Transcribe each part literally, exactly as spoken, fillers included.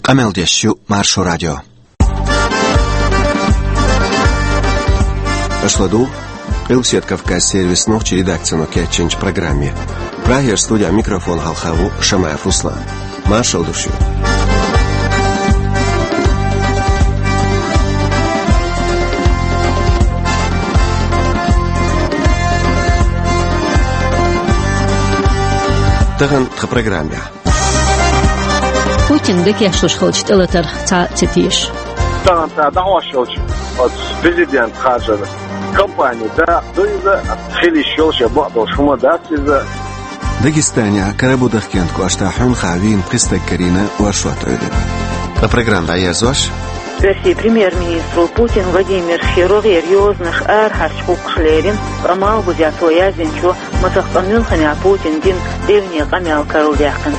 Къамел деш ю Маршо радио. Аша ладугӀу Къилбаседа Кавказан сервисан нохчийн редакцино кечйинчу программе. Прагера студехь микрофон хьалха ву Шамаев Руслан. Маршалла ду шуьга. Тахана тхан программехь. Путина дӀакхаьччалуш хиллачу тӀелатарх цхьа а ца теша. Тахана цара дӀахьош йолчу оцу президент харжар кампани дакъа ду иза, хила йиш йолуш я бакъдолуш хӀума дац иза. Дагестанехь Карабудахкентан кӀоштахь хьуьнхахь вийна пхи стаг карийна оршот Ӏуьйранна. Ткъа программа дӀаерзош. Оьрсийн премьер-министро Путин Владимирхе рогӀера йозанаш арахьарчу гӀуллакхах лерина, ткъа Малхбузехь цо яздинчо, масех къа Мюнхенехь Путина дина девне къамел карладаьккхина.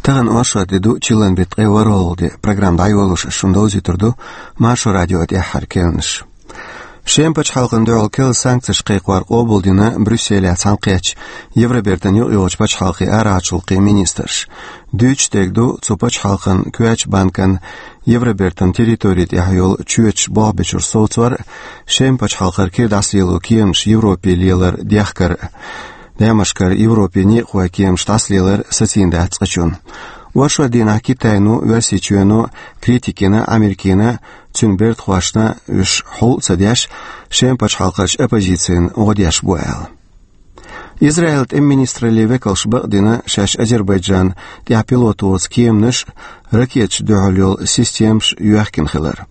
Тахана оршот де ду, чиллан беттан ткъе ворхӀалгӀа де. Программа дӀайолош ас шуна довзуьйтур ду Маршо радион тӀаьххьара керланаш. Шеман пачхьалкхана дуьхьал керла санкцеш кхайкхор къобалдина Брюсселехь цхьаьнакхеттачу Евробертан юкъайогӀучу пачхьалкхийн арахьарчу гӀуллакхийн министраша. Дуьйцуш дерг ду цу пачхьалкхан коьртачу банкан Евробертан территори тӀехь йолу чоьташ болх бечуьра совцор а, Шеман пачхьалкхара кира дӀасалело кеманаш Европе лелар дехкар а, Дамаскара Европе некъахой кеманаш дӀасалелар сацийна дац цкъачунна. Оршот дийнахь Китайно, Оьрсийчоьно критика йина Америкина, цуьнан бертахошна, уьш хьул а ца деш, Шеман пачхьалкхарчу оппозицина гӀо деш бу аьлла. Израилан тӀеман министраллин векалша бакъдина, шаьш Азербайджан тӀехь пилотан воцу кеманаш а, ракеташна дуьхьал йолу системаш а йоьхкина хилар.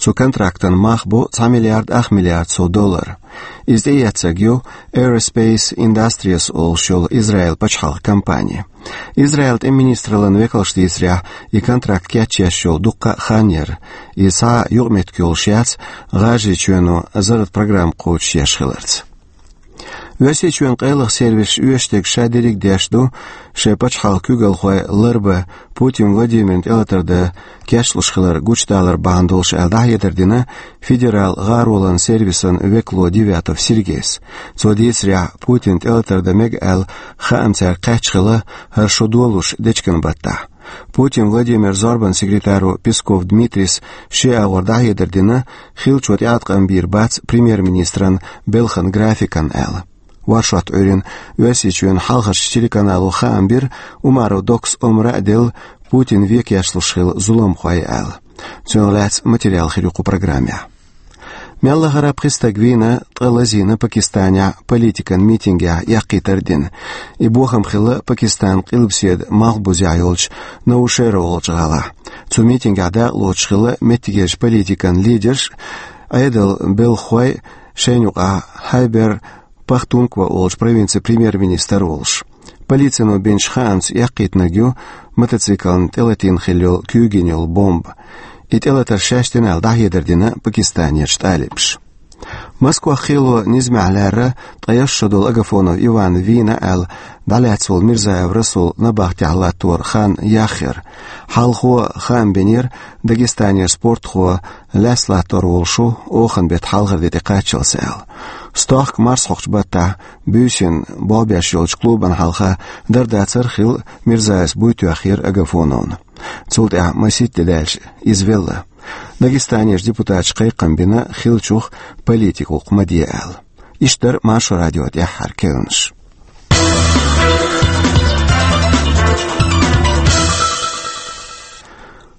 Цу контрактан мах бу цхьа миллиард ах миллиард сов доллар. Иза тӀеэцнарг ю Aerospace Industries олуш йолу Израилан пачхьалкхан компани. Израилан тӀеман министраллин векалша дийцарехь, и контракт кечъеш йолу дуккха а хан яра. Иза цхьа а юкъаметтиг йолуш яц ГӀажарийчоьно зарратан программа кхочушъеш хиларца. Оьрсийчоьнан къайлаха сервисаша оьшуш дерг ша дерриг а деш ду, шайн пачхьалкхан куьйгалхой ларбан, Путин Владимирна тӀелатар дан кечлуш хилар гучудалар бахьана долуш аьлла, дӀахьедар дина федералан гӀаролан сервисан векало Девятов Сергейс. Цо дийцарехь, Путинна тӀелатар дан мега аьлла, хаам цаьрга кхаьчна хилла хӀара шо долуш дечкен баттахь. Путин Владимиран зорбанан секретаро Песков Дмитрийс шен агӀор дӀахьедар дина, хиллачо тӀеӀаткъам бийр бац премьер-министран белхан графикана аьлла. Оршот Ӏуьйрина Оьрсийчоьнан хьалхарчу телеканало хаам бира, Умаров Докас омра а делла, Путин вен кечлуш хилла зуламхой аьлла. Цунах лаьцна материал хир ю кху программехь. Мел лахара пхи стаг вийна, ткъа лазийна Пакистанехь политикан митингехь эккхийтар а дина. И бохам хилла Пакистанан къилбаседа малхбузехь йолчу Наушера олучу гӀалахь. Цу митингехь дакъалоцуш хилла меттигерчу политикан лидерш а, Ӏедалан белхахой а, шайна юкъахь Хайбер Пахтунква олучу провинцин премьер-министр а волуш. Полицино бинчу хаамца, эккхийтинарг ю мотоциклна тӀелатийна хилла йолу куьйга йина йолу бомба. И тӀелатар шаьш дина аьлла, дӀахьедар дина Пакистанерчу тӀалибаша. Москвахь кхело низамехь лаьрра ткъе ялх шо долу Агафонов Иван вийна аьлла, дӀалаьцна волу Мирзаев Расул набахтехь латтор хан яхъяр. Хьалхо хаам бинера, Дагестанера спортхо лаьцна латтор волуш ву, оханан беттан хьалхара де тӀекхаччалц аьлла. Стохка марсхьокхучу баттахь буьйсанна болх беш йолчу клубана хьалха дар-дацар а хилла, Мирзаевс буй тоьхнера Агафоновна. Цул тӀаьхьа масийтта де даьлча иза велла. Дагестанерчу депутаташа кхайкхам бина, хиллачух политикан гӀуллакх ма де аьлла. Иштта дара Маршо радион тӀаьххьара керланаш.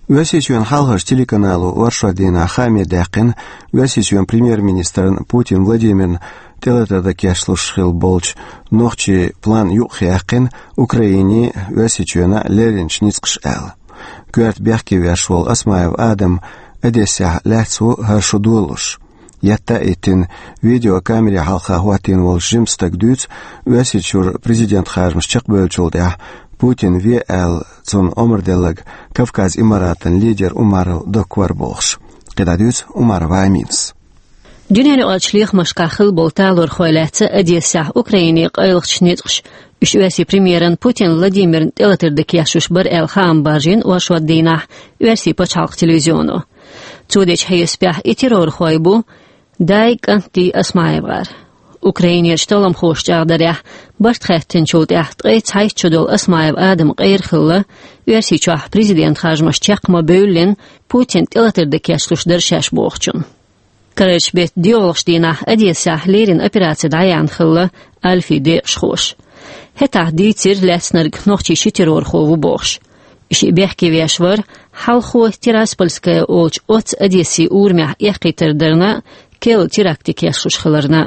Оьрсийчоьнан хьалхарчу телеканало оршот дийнахь хааме даьккхина Оьрсийчоьнан премьер-министран Путин Владимирна тӀелатар дан кечлуш хилла болчу нохчийн план юкъахъяьккхина Украинин а, Оьрсийчоьнан а лерринчу ницкъаша аьлла. Коьрта бехке веш волу Осмаев Адам Одессехь лаьцна ву хӀара шо долуш. Етта а йиттина, видеокамере хьалха хӀоттийна волчу жимачу стага дуьйцу, Оьрсийчуьра президент харжамаш чекхбевллачул тӀаьхьа Путин ве аьлла цунна омра делларг Кавказ Имаратан лидер Умаров Докка вара бохуш. КхидӀа дуьйцу Умарова Аминас. Дуьненаюкъарчу лехамашкахь хилла болу талорхой лаьцна Одессехь Украинин къайлахчу ницкъаша, уьш оьрсийн премьеран Путин Владимирна тӀелатар дан кечлуш бара аьлла хаам баржийна оршот дийнахь Оьрсийн пачхьалкхан телевизионо. Цо дечу хьесапехь и террорхой бу Дай, КӀантий, ОсмаевгӀар. Украинерчу талламхоша чӀагӀдарехь, барт хаьттинчул тӀаьхьа ткъе цхьайтта шо долу Осмаев Адам къера хилла, Оьрсийчохь президент харжамаш чекх ма бевллина, Путин тӀелатар дан кечлуш дара шаьш бохучун. Карарчу беттан доьалгӀачу дийнахь Одессехь леррина операци дӀаяьхьна хилла Альфин декъашхоша. ХӀетахь дийцира лаьцнарг нохчийн ши террорхо ву бохуш. И шиъ бехке веш вара хьалхо Тираспольская олучу оццу Одессан урамехь эккхийтар дарна, керла теракт дан кечлуш хиларна.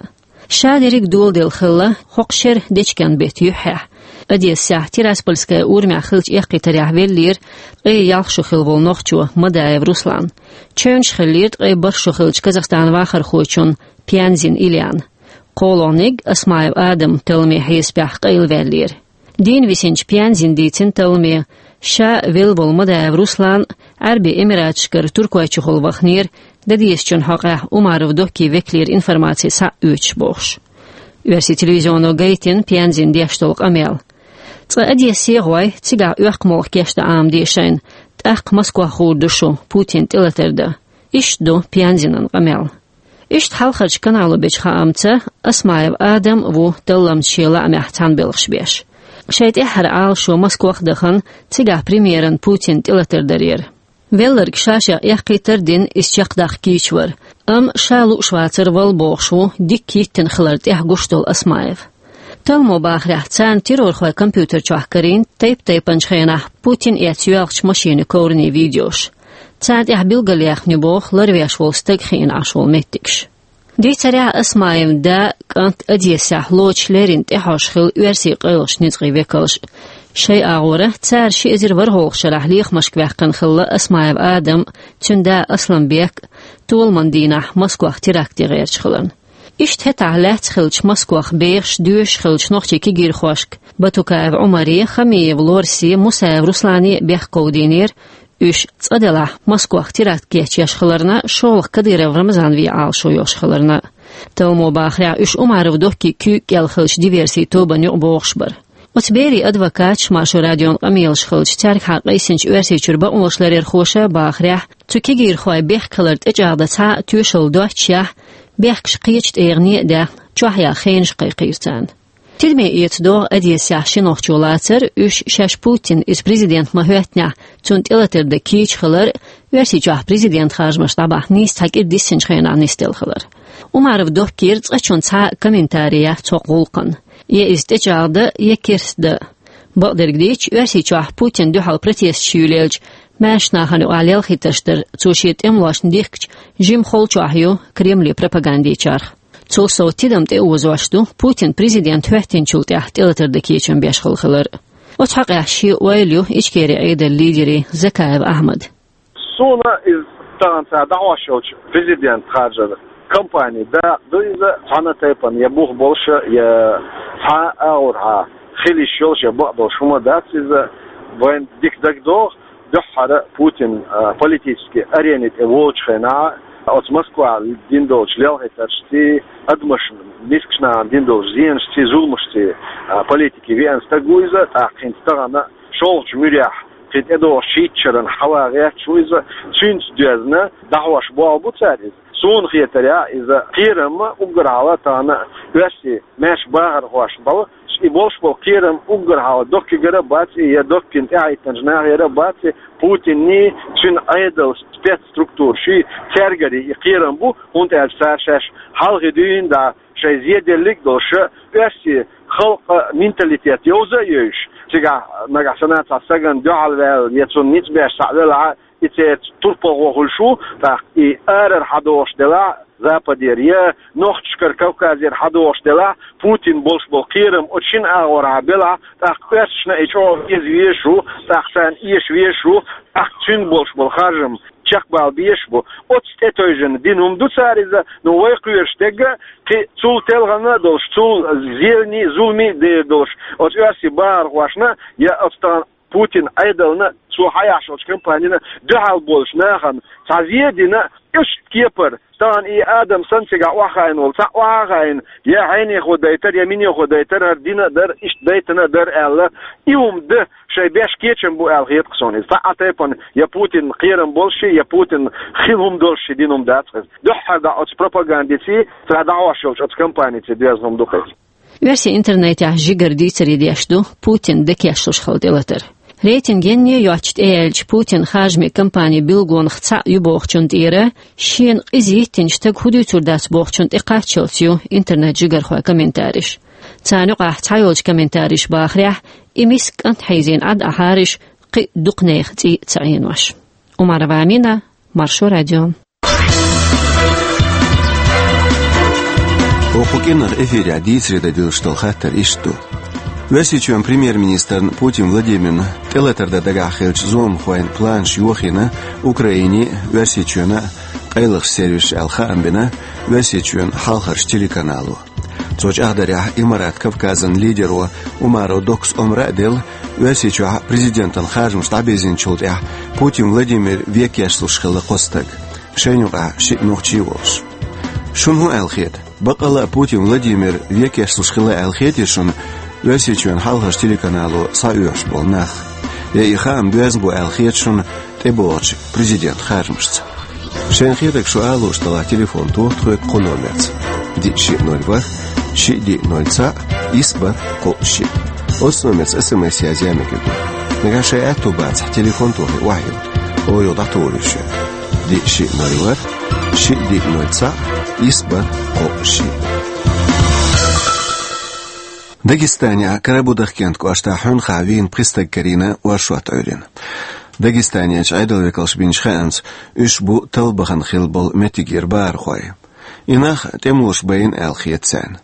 Ша дерриг доладелла хилла хӀокху шеран дечкен беттан юьххьехь. Одессехь Тираспольская урамехь хиллачу эккхийтарехь веллера ткъе ялх шо хилла волу нохчо Мадаев Руслан. Чевнаш хиллера ткъе бархӀ шо хиллачу Казахстанан вахархочун Пьянзин Ильян. КхоалгӀаниг Осмаев Адам талламан хьесапехь къайлаваьллера. Дийна висинчу Пьянзина дийцина талламан, ша велла волу Мадаев Руслан Ӏаьрбийн Эмираташкара Туркойчухула ваханера, дан дезачун хьокъехь Умаров Доккин векалера информаци схьа а оьцуш бохуш. Оьрсийн телевизионо гайтина Пьянзина деш долу къамел. Цкъа Одессе а гӀой, цигахь оьккху молха кечдан Ӏамаде шайна, тӀаккха Москох гӀур ду шу Путин тӀелатар дан. Иштта ду Пьянзинан къамел. Иштта хьалхарчу канало бечу хаамца, Осмаев Адам ву талламца шен лаамехь цхьаьна белхаш беш. Шайн тӀаьххьара Ӏалашо Москох а дахана, цигахь премьеран Путин тӀелатар дарера. Велларг ша-шех эккхийтар а дина, иза чекхдаккха кийча вара. Амма ша лууш вацара вала бохуш ву, дикка йиттина хилар тӀехь гуш долу Осмаев. Талламо бахарехь, царна террорхойн компьютер чохь карийна тайп-тайпанчу хенахь Путин эцна йоьлхучу машенийн коврийн видеош. Царна тӀехь билгалъяьхна ю боху ларвеш волу стаг хиъна Ӏаш волу меттигаш. Дийцарехь, Осмаевн да, кӀант Одессехь лоцуш леррина тӀаьхьош хилла оьрсийн къайлахчу ницкъийн векалш. Шайн агӀора цара ши эзар ворхӀалгӀачу шарахь лехамашка ваьккхина хилла Осмаев Адам, цуьнан да Асламбек, толаман дийнахь Москох теракт ян гӀерташ хиларна. Иштта хӀетахь лаьцна хиллачу Москох бехаш, доьшуш хиллачу нохчийн кегийрхошка Батукаев Ӏумаре, Хамиев Лорсе, Мусаев Руслане бехк говдийнера, уьш цкъа делахь Москох теракт кечъеш хиларна, шолгӀа Кадыров Рамзан вен Ӏалашо йолуш хиларна. Талламо бахарехь, уьш Умаров Доккин куьйга кӀел хиллачу диверсийн тобанна юкъа богӀуш бара. Оцу берийн адвокаташ Маршо радион къамелаш хилча, цаьргахьа къийсинчу Оьрсийчуьра бакъонашларъярхоша бахарехь, цу кегийрхойн бехк хилар тӀечӀагӀдан цхьа а тоьшалла доццушехь, бехкаш кхечу тӀегӀане а даьхна, чохь яха хенаш кхайкхийра царна. Тидаме эца догӀу Одессехь ши нохчо лацар, уьш шаьш Путин, иза президент ма-хӀоьттинехь, цунна тӀелатар дан кийча хилар, Оьрсийчохь президент харжамаш дӀабахьа нийса цхьа кӀира диссинчу хенахь нисделла хилар. Умаров Доккера цкъачунна цхьа а комментарий яц хӀокху гӀуллакхна. Я иза тӀечӀагӀдан, я керста дан. Бакъдерг дийцча, Оьрсийчохь Путинна дуьхьал протесташ юьйлаелча, маьрша нахана юкъахь лелхийтарш дар цо шен тӀемалошна дихкича жимма холчохь ю Кремле пропагандечарх. Цул сов, тидам тӀеозош ду Путин президент хӀоьттинчул тӀаьхьа тӀелатар дан кечам беш хилла хилар. Оцу хьокъехь шен ойла ю Ичкерин Ӏедалан лидеран Закаев Ахьмадан. Суна иза тахана цара дӀахьош йолчу президент харжар кампани дакъа ду иза, цхьана а тайпана я бух болуш, я цхьа а агӀорхьа хила йиш йолуш, я бакъдолуш хӀума дац иза. Вайн дика дагадогӀу, дуьххьара Путин, а, политически арени тӀе волчу хенахь, оцу Москвахь дина долчу лелхийтаршций, адамашна мискачу нахана дина долчу зенашций, зуламашций, а, политике веана стаг ву иза, тӀаккха хӀинца тахана шолгӀачу муьрехь кхин тӀедогӀучу шийтта шарна хьала гӀерташ ву иза, цуьнца доьзна дӀахьош болх бу цара иза. Суна хетарехь, иза кхерам уггар хьалха тахана оьрсийн маьрша бахархошна бала, и болуш болу кхерам уггар хьалха Доккигара а бац и, я Доккина тӀаьхьахӀиттинчу нахера а бац и, Путинний, цуьнан Ӏедалан спецструктураший, цаьргарий и кхерам бу, хӀунда аьлча цара шаьш хьалхе дуьйна дӀа шайн зеделлиг а долуш, оьрсийн халкъан менталитет йовза а йовзуш, цигахь нагахь санна цхьа стагана дуьхьал ваьлла, я цунна ницкъ беш схьа а велахь, и церан турпалхо хуьлуш ву, тӀаккха и арара хьадогӀуш делахь, Западера я нохчашкара, Кавказера хьадогӀуш делахь, Путин болуш болу кхерам оцу шина агӀорхьа белахь, тӀаккха оьрсашна и чӀогӀа веза везаш ву, тӀаккха царна эша везаш ву, тӀаккха цуьнан болуш болу харжам чекхбала безаш бу. Оцу тӀетевжина дина хӀума ду цара иза, но вай кхоьруш дерг а, кхин цул телхана а долуш, цул зелений, зуламий а дер долуш, оцу оьрсийн бахархошна я оцу тахана Путин Ӏедална, цо хьаяхьаш йолчу компанина дуьхьал болуш нахана цхьа зен дина, иштта кепара, тахана и Адам санна цигахь охьахаийна волу цхьаъ охьахаийна, я хьенехо дайтар, я минехо дайтар, хӀара дина а дара, иштта дайтина а дара аьлла, и хӀума дан шайн беш кечам бу аьлла хета-кх суна иза. Цхьа а тайпана я Путинна кхерам болуш, я Путинна хила хӀума долуш дина хӀума дац-кх иза. Дуьххьара дӀа оцу пропагандиций, цара дӀахьош йолчу оцу компаниций доьзна хӀума ду-кх иза. Оьрсийн интернетехь жигара дийцаре деш ду Путин декешлуш хила тӀелатар. Рейтинг енне йоцчу тӀеяьллачу Путин харжамийн кампанин билгалонах цхьаъ ю бохучунна тӀера, шена къиза йиттинчу стага хӀун дуьйцур дац бохучунна тӀекхаччалц ю интернет-жигархойн комментареш. Царна юкъахь цхьайолчу комментаторша бахарехь, и миска кӀант хьийзийна Ӏад Ӏахьариш кхин а дукха нехан цӀий а ца Ӏенош. Умарова Амина, Маршо радио. Оха кху кӀиранах эфирехь дийцаре дан диллина долу хаттар иштта ду. Оьрсийчоьнан премьер-министрна Путин Владимирна тӀелатар дан дагахь хиллачу зуламхойн планаш йохийна Украинин а, Оьрсийчоьнан а къайлахчу сервисаша аьлла хаам бина Оьрсийчоьнан хьалхарчу телеканало. Цо чӀагӀдарехь, Имарат Кавказан лидеро Умаров Доккас омра а делла, Оьрсийчохь президентан харжамаш дӀабирзинчул тӀаьхьа Путин Владимир вен кечлуш хилла кхо стаг. Шайна юкъахь шиъ нохчи а волуш. Шуна хӀун аьлла хета? Баккъалла а Путин Владимир вен кечлуш хилла аьлла хетий шуна Оьрсийчоьнан хьалхарчу телеканало схьаоьхуш болу нах? Я и хаам боьзна бу аьлла хета шуна тӀебогӀучу президентан харжамашца? Шайна хетарг шу ала лууш делахь, телефон тоха тхоьга кху номерца: диъ шиъ ноль ворхӀ, шиъ диъ ноль цхьаъ, исс бархӀ кхоъ шиъ. Оцу номерца СМС язъян мегар ду. Нагахь шайн аьтто бацахь, телефон тохий охьайилла, оха юха дӀатухур ю шуьга. Диъ шиъ ноль ворхӀ, шиъ диъ ноль цхьаъ, исс бархӀ кхоъ шиъ. Дагестанехь Карабудахкент кӀоштахь хьуьнхахь вийна пхи стаг карийна оршот Ӏуьйрина. Дагестанерчу Ӏедалан векалша бинчу хаамца, уьш бу талла бахана хилла болу меттигера бахархой. И нах тӀемалоша байина аьлла хета царна.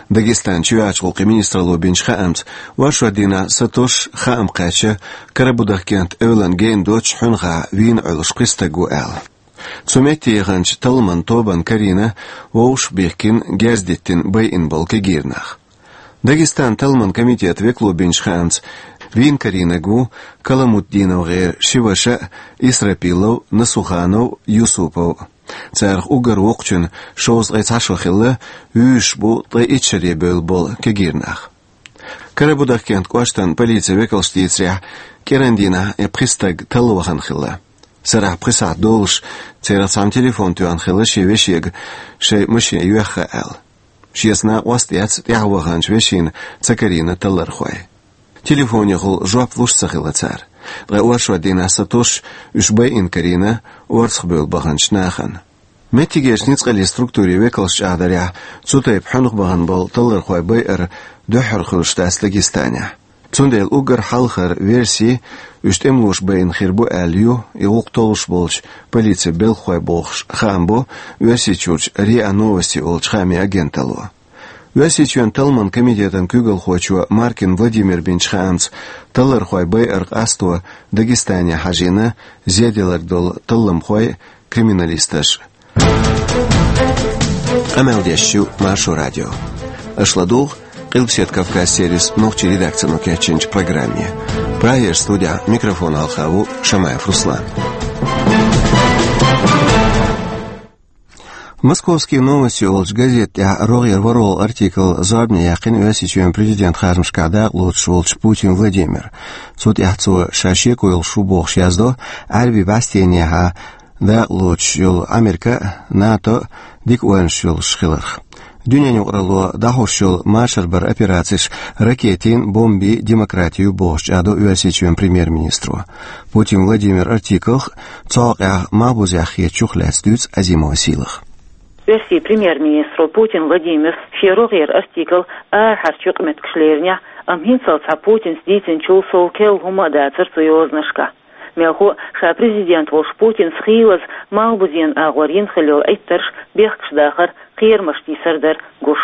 Дагестанан чоьхьарчу гӀуллакхийн министралло бинчу хаамца, оршот дийнахь сатосуш хаам кхаьчна Карабудахкент эвлана гена доцуш хьуьнхахь вийна Ӏуьллуш пхи стаг ву аьлла. Цу метте яханчу талламан тобанна карийна вовшахбихкина, герз диттина байина болу кегийра нах. Дагестанан талламан комитетан векало бинчу хаамца, вийна карийнарг ву КаламутдиновгӀеран ши ваша а, Исрапилов, Насуханов, Юсупов. Царах уггар воккхачун шовзткъе цхьа шо хилла, вуьйш бу ткъе итт шаре бевлла болу кегийра нах. Карабудахкент кӀоштан полицин векалша дийцарехь, кӀиран дийнахь и пхи стаг талла вахана хилла. Сарахь пхи сахьт долуш, церан цхьамма телефон тоьхна хилла шен вешега, шайн машен йоьхна аьлла. Шеца накъост а эцна, тӀаьхьа ваханчу вешина ца карийна таллархой. Телефонехула жоп луш ца хилла цара. Ткъа оршот дийнахь сатосуш, уьш байина карийна орцахбевлла баханчу нахана. Меттигерчу ницкъаллин структурийн векалша чӀагӀдарехь, цу тайпа хьуьнхахь бахана болу таллархой байар дуьххьара хуьлуш дац Дагестанехь. Цундела уггар хьалхара верси, уьш тӀемалоша байина хир бу аьлла ю, и гӀуллакх толлуш болчу полицин белхахой бохуш, хаам бо Оьрсийчуьрчу РИА Новости олучу хаамийн агенталло. Оьрсийчоьнан талламан комитетан куьйгалхочо Маркин Владимира бинчу хаамца, таллархой байар къасто Дагестане хьажийна зеделларг долу талламхой, криминалисташ. Къамел деш ю Маршо радио. Аша ладугӀу Къилбаседа Кавказ сервисан нохчийн редакцино кечйинчу программе. Прагера студехь микрофон хьалха ву Шамаев Руслан. «Московские новости» олучу газета тӀехь рогӀера ворхӀалгӀа артикл зорбане яьккхина Оьрсийчоьнан президентан харжамашкахь дакъа лоцуш волчу Путин Владимира. Цу тӀехь цо ша шеко йолуш ву бохуш яздо, Ӏаьрбийн бӀаьстенехьа дакъа лоцуш йолу Америка а, НАТО а дика ойланаш йолуш хиларх. Дуьненан юкъаралло дӀахьош йолу машарбаран операцеш ракетийн, бомбийн демократи ю бохуш чӀагӀдо Оьрсийчоьнан премьер-министро. Путин Владимиран артиклах, цу хьокъехь малхбузех хетачух лаьцна дуьйцу Азимова Сийлаха. Оьрсийн премьер-министро Путин Владимира шен рогӀера артикл арахьарчу юкъаметтигашка леринехь, амма хӀинццалц Путина дийцинчул сов керла хӀума а дацара цу йозанашкахь. Мелхо а, ша президент волуш Путинца хийлаза малхбузен агӀор йина хилла йолу Ӏиттарш бехкаш дахар, кхерамаш тийсар дара гуш.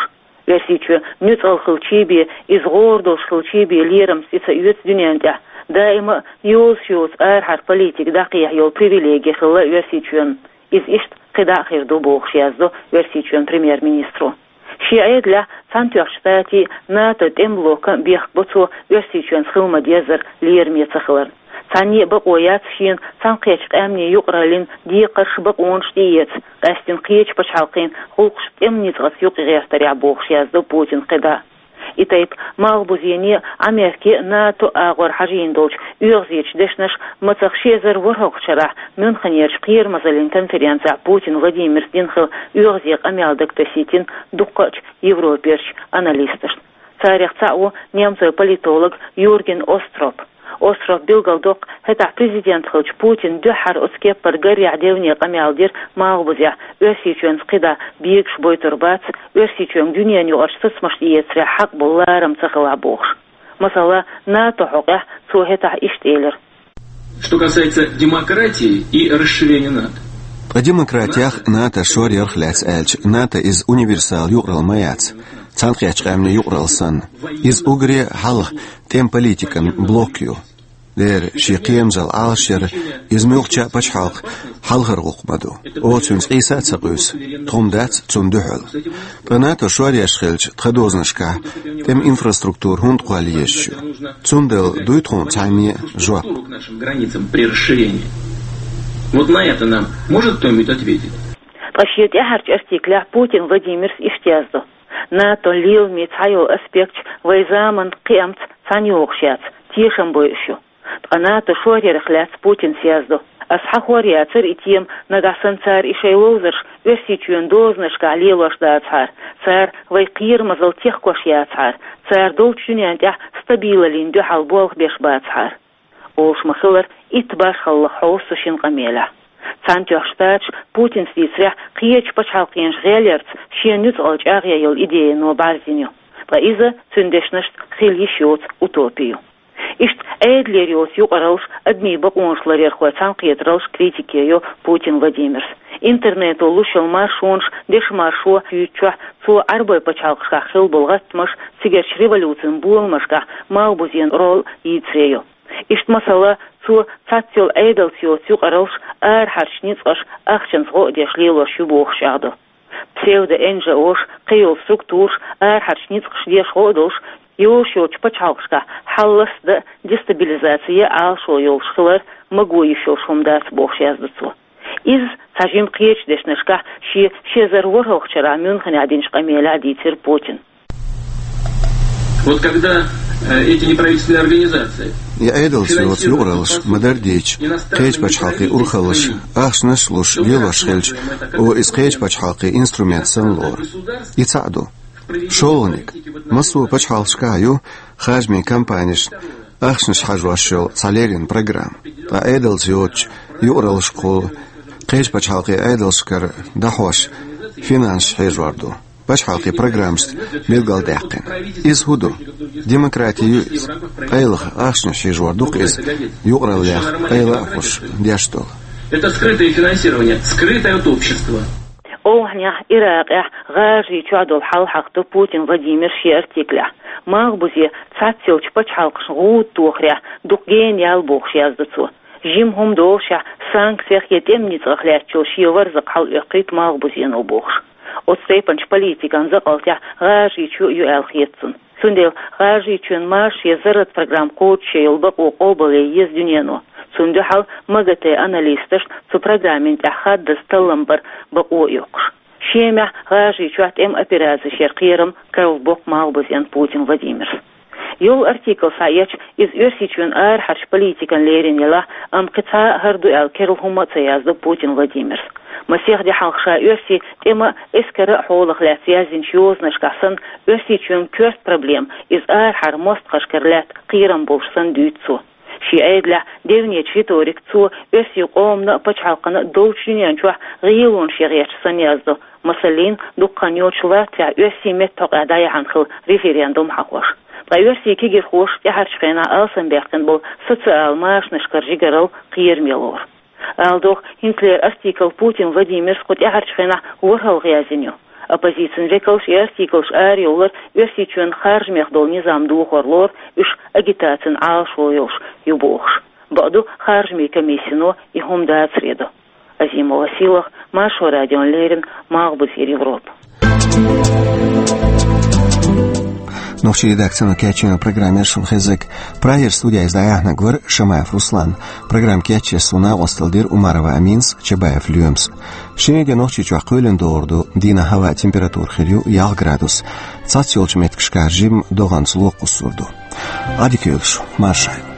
Оьрсийчоь нуьцкъала хилчий бен, иза гӀора долуш хилчий бен лерамца и ца оьцу дуьнен тӀехь, даима а йозуш йоцу арахьара политика дӀакхехьа йолу привилеги хилла Оьрсийчоьнан. Иза иштта кхидӀа а хир ду бохуш яздо Оьрсийчоьнан премьер-министро. Шен Ӏедалехь Цхьаьнатоьхначу Штатийн, НАТО тӀеман блокан бехк бо цо Оьрсийчоьнца хила ма-деззара лераме ца хиларна. Цхьанне а бакъо яц шена Цхьаьнакхеттачу Къаьмнийн юкъараллин декхарш, бакъонаш тӀеэца, къаьсттина кхечу пачхьалкхийн гӀуллакхаш тӀеман ницкъаца юкъагӀертарехь, бохуш яздо Путина кхидӀа. И тайпа Малхбузене а, Америке а, НАТО а агӀор хьажийна долчу оьгӀазечу дешнаша мацах ши эзар ворхӀалгӀачу шарахь Мюнхенерчу кхерамазаллин конференцехь Путин Владимира дина хилла оьгӀазе къамел дагатасийтина дуккхачу Европерчу аналисташна. Царех цхьаъ ву немцойн политолог Юрген Остроп. Остроп билгалдоккху, хӀетахь президент хиллачу Путина дуьххьара оцу кеппара гарехь девне къамел дира Малхбузехь, Оьрсийчоьнца кхидӀа бегаш бойтур бац, Оьрсийчоьнга дуьненаюкъарчу сацамаш тӀеэцарехь хьакъ болу ларам ца хилахь, бохуш. Масала, НАТО хьокъехь цо хӀетахь иштта элира: Что касается демократии и расширения НАТО. Ткъа демократиях а, НАТО шоръярх а лаьцна аьлча, НАТО иза универсал юкъаралла ма яц, Цхьаьнакхеттачу Къаьмнийн юкъаралла санна. Иза уггаре а хьалха тӀеман политикан блок ю. Дера, шен кхерамазалла Ӏалашъяр иза муьлххачу а пачхьалкхан хьалхара гӀуллакх ма ду. Оха цуьнца къийса а ца къуьйсу, тхо-м дац цунна дуьхьал. Ткъа НАТО шоръеш хилча, тхан дозанашкахь тӀеман инфраструктура хӀунда кхолла езаш ю? Цундела дуй тхуна цхьанне а жоп? К нашим границам при расширении. Вот на это нам может кто-нибудь ответить? Ткъа шен тӀаьхьарчу артиклехь Путин Владимира иштта яздо: «НАТО-н леламийн цхьайолу аспекташ вайн заманан кхиамца цхьаьна йогӀуш яц, тешам бойуш ю». Ткъа НАТО шоръярх лаьцна Путина яздо: «Ас хьахор яцара и тема, нагахь санна цара и шайн ловзарш Оьрсийчоьнан дозанашкахь лелош дацахьара, цара вайн кхерамазалла техкош яцахьара, цара долчу дуьнен тӀехь стабилаллин дуьхьал болх беш бацахьара». Олуш ма-хиллара, итт башхаллах хьовсу цу шина къамелехь. Цхьаьнатоьхна Штаташ, Путина дийцарехь, кхечу пачхьалкхенаша гӀелъярца шен нуьцкъала чӀагӀъян йолу идеяно бӀаьрзина ю. Ткъа иза, цуьнан дешнашца, хила йиш йоцу утопи ю. Иштта Ӏедалера йоцу юкъараллаш, адамийн бакъонаш ларъярхойн цхьаьнакхетараллаш критике йо Путин Владимира. Интернето луш йолу маршонаш, дешан маршо юьйцучохь, цо Ӏарбойн пачхьалкхашкахь хилла болу гӀаттамаш, цигарчу революцин боламашкахь Малхбузен роль йийцаре йо. Иштта, масала, цо цхьацца йолу Ӏедалца йоцу юкъараллаш арахьарчу ницкъаша ахчанца гӀо а деш лелош ю бохуш чӀагӀдо. Псевдо-НЖО-ш, кхин йолу структураш арахьарчу ницкъаша деш гӀо а долуш, йолуш йолчу пачхьалкхашкахь хьал ласта а, дестабилизаци ян а Ӏалашо йолуш хилар маго йиш йолуш хӀума дац, бохуш яздо цо. Иза цхьа жима кхечу дешнашкахь шен ши эзар ворхӀалгӀачу шарахь Мюнхенехь динчу къамелехь дийцира Путина. Вот когда, э, эти неправительственные организации... И Ӏедалца йоцу юкъараллаш ма-дарра дийцича, кхечу пачхьалкхийн урхаллаша ахчанаш а луш лелош хилча, оха иза кхечу пачхьалкхийн инструмент санна лору. И цхьаъ ду. ШолгӀаниг. Массо а пачхьалкхашкахь ю харжамийн кампанешна ахчанаш хьажош йолу цхьа леррина программа. Ткъа Ӏедалца йоцучу юкъараллашкахула кхечу пачхьалкхийн Ӏедалшкара дӀахьош финансаш хьежор ду, пачхьалкхийн программашца билгалдаьккхина. Иза хӀун ду? Демократи ю иза. Къайлаха ахчанаш хьежор ду-кх иза, юкъараллех къайла а хуьлуш деш долу. Это скрытое финансирование, скрытое от общества. Ӏовхьанехь, Иракъехь, ГӀажарийчохь долу хьал хьахадо Путин Владимира шен артиклехь. Малхбузе цхьацца йолчу пачхьалкхашна гӀуда тохарехь дукха гена ял, бохуш яздо цо. Жима хӀума долушехь, санкцех я тӀеман ницкъах лаьттачул шен варзакъ хьалаоьккхуьйту Малхбузено, бохуш. Оцу тайпанчу политикан закъалтехь ГӀажарийчоь а ю аьлла хета цунна. Цундела ГӀажарийчоьнан марша я зарратан программа кхочушъян йолу бакъо къобалъян еза дуьнено. Цунна дуьхьал МАГАТЭ-н аналисташна цу программин тӀехь хаддаза таллам бар бакъо а йоккхуш. Шемахь, ГӀажарийчохь тӀеман операцеш яр кхерам карладоккху Малхбузен Путин Владимира. Йолу артикл схьаэцча, иза Оьрсийчоьнан арахьарчу политикана лерина елахь а, амма кхин цхьа а хӀара ду аьлла керла хӀума а ца яздо Путин Владимира. Масех де хьалха ша оьрсийн тӀеман а, эскаран а хьолах лаьцна яздинчу йозанашкахь санна, Оьрсийчоьнан коьрта проблема иза арахьара мостагӀашкара лаьтта кхерам болуш санна дуьйцу цо. Шен Ӏедалехь девнечу риторикаца цо оьрсийн къомана а, пачхьалкхана а долчу дуьнен чохь гӀелонаш ян гӀерташ санна яздо. Масаллин, дукха хан йоцуш Латвехь оьрсийн меттан хьокъехь дӀаяьхьна хилла референдум хьахош. Ткъа оьрсийн кегирхоша тӀаьхьарчу хенахь алсамбаьккхина болу социал машанашкара жигаралла кхераме лору. Ала догӀу, хӀинцалера артикл Путин Владимира кху тӀаьхьарчу хенахь ворхӀалгӀа яздина ю. Оппозицин векалш и артиклаш арайовлар Оьрсийчоьнан харжамех долу низам дохор лору, уьш агитацин Ӏалашо йолуш ю бохуш. Бакъду, харжамийн комиссино и хӀума дацаре до. Азимова Сийлаха, Маршо радиона леррина, Малхбузера Европа. Нохчийн редакцино кечйина программа яр шун хезиг. Прагера студияйиз дӀаяхьнарг вар Шамаев Руслан. Программа кечъеш сона накъостал дир Умарова Аминас, Чабаев Лоьмас. Шинарин де Нохчийчохь кхоьлина догӀур ду, дийнахьа хӀаваан температура хир ю ялх градус. Цхьаццайолчу меттигашкахь жимма догӀанца ло кхуссур ду. Ӏадика йойла шу, марша Ӏойла.